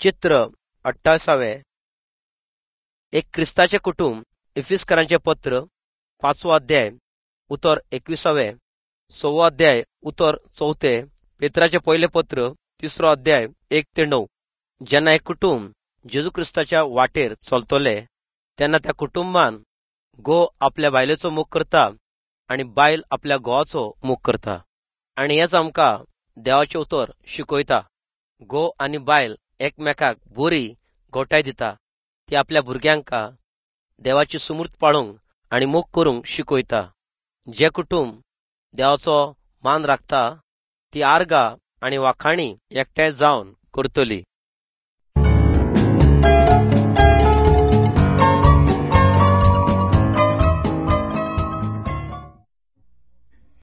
चित्र 28 एक क्रिस्ताचें कुटुंब इफिसकरांचें पत्र 5वो अध्याय उतर 21वें, 6वो अध्याय उतर 4थें, पेत्राचें पयलें पत्र 3रो अध्याय 1 ते 9. जेन्ना एक कुटुंब जेजू क्रिस्ताच्या वाटेर चलतले तेन्ना त्या कुटुंबान घोव आपल्या बायलेचो मोग करता आनी बायल आपल्या घोवाचो मोग करता. आनी हेच आमकां देवाचें उतर शिकयता. घोव आनी बायल एकमेकाक बरी गोठाय दिता. ती आपल्या भुरग्यांक देवाची सुमूर्त पाळूंक आनी मोग करूंक शिकयता. जे कुटुंब देवाचो मान राखता ती आर्गां आनी वाखाणी एकठांय जावन करतली.